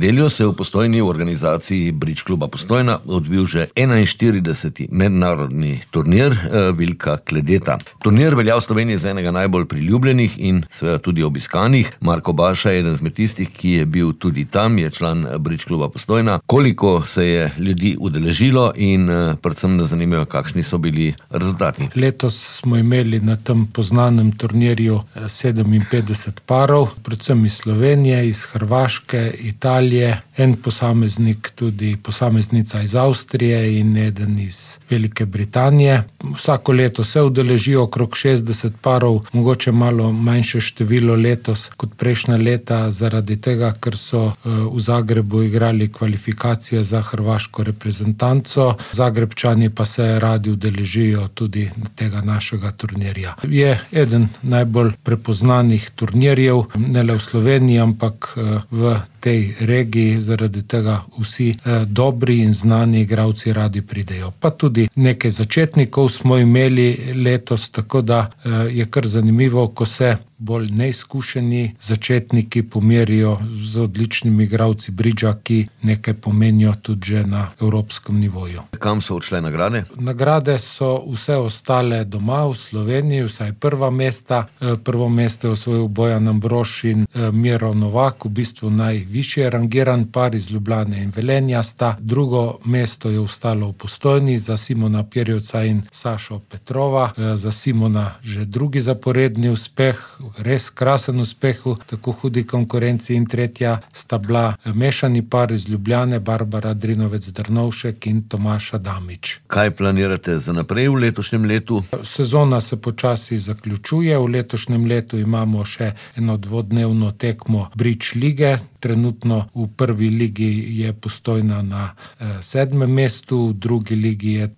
Delijo se v Postojni v organizaciji Bridge kluba Postojna odvil že 41. mednarodni turnir Vilka Kledeta. Turnir velja v Sloveniji za enega najbolj priljubljenih in seveda tudi obiskanih. Marko Baša je eden izmed tistih, ki je bil tudi tam, je član Bridge kluba Postojna. Koliko se je ljudi udeležilo in predvsem nas zanimajo, kakšni so bili rezultati? Letos smo imeli na tem poznanem turnirju 57 parov, predvsem iz Slovenije, iz Hrvaške, Italije, en posameznik, tudi posameznica iz Avstrije in eden iz Velike Britanije. Vsako leto se udeležijo okrog 60 parov, mogoče malo manjše število letos kot prejšnja leta, zaradi tega, ker so v Zagrebu igrali kvalifikacije za hrvaško reprezentanco. Zagrebčani pa se radi udeležijo tudi tega našega turnirja. Je eden najbolj prepoznanih turnirjev, ne le v Sloveniji, ampak v tej regiji, zaradi tega vsi dobri in znani igralci radi pridejo. Pa tudi nekaj začetnikov smo imeli letos, tako da je kar zanimivo, ko se bolj neizkušeni začetniki pomerijo z odličnimi igralci bridža, ki nekaj pomenijo tudi že na evropskem nivoju. Kam so odšle nagrade? Nagrade so vse ostale doma v Sloveniji, vsaj prva mesta. Prvo mesto je osvojil Bojan Ambrož in Miro Novak, v bistvu najvišje rangiran par iz Ljubljane in Velenja sta. Drugo mesto je ostalo v Postojni za Simona Pirjevca in Sašo Petrova. Za Simona že drugi zaporedni uspeh, res krasen uspeh v tako hudi konkurenci, in tretja sta bila mešani par iz Ljubljane, Barbara Drinovec-Drnovšek in Tomaž Adamič. Kaj planirate za naprej v letošnjem letu? Sezona se počasi zaključuje. V letošnjem letu imamo še eno dvodnevno tekmo Bridge lige. Trenutno v prvi ligi je Postojna na 7. mestu, v drugi ligi je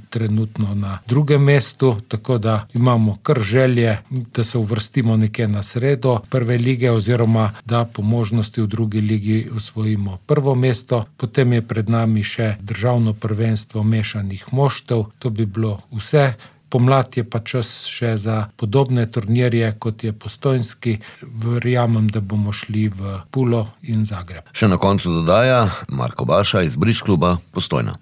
trenutno na 2. mestu, tako da imamo kar želje, da se uvrstimo nekje na sredo prve lige oziroma da po možnosti v drugi ligi osvojimo prvo mesto. Potem je pred nami še državno prvenstvo mešanih moštev. To bi bilo vse. Pomlad je pa čas še za podobne turnirje, kot je postojnski. Verjamem, da bomo šli v Pulo in Zagreb. Še na koncu dodaja Marko Baša iz Bridge kluba Postojna.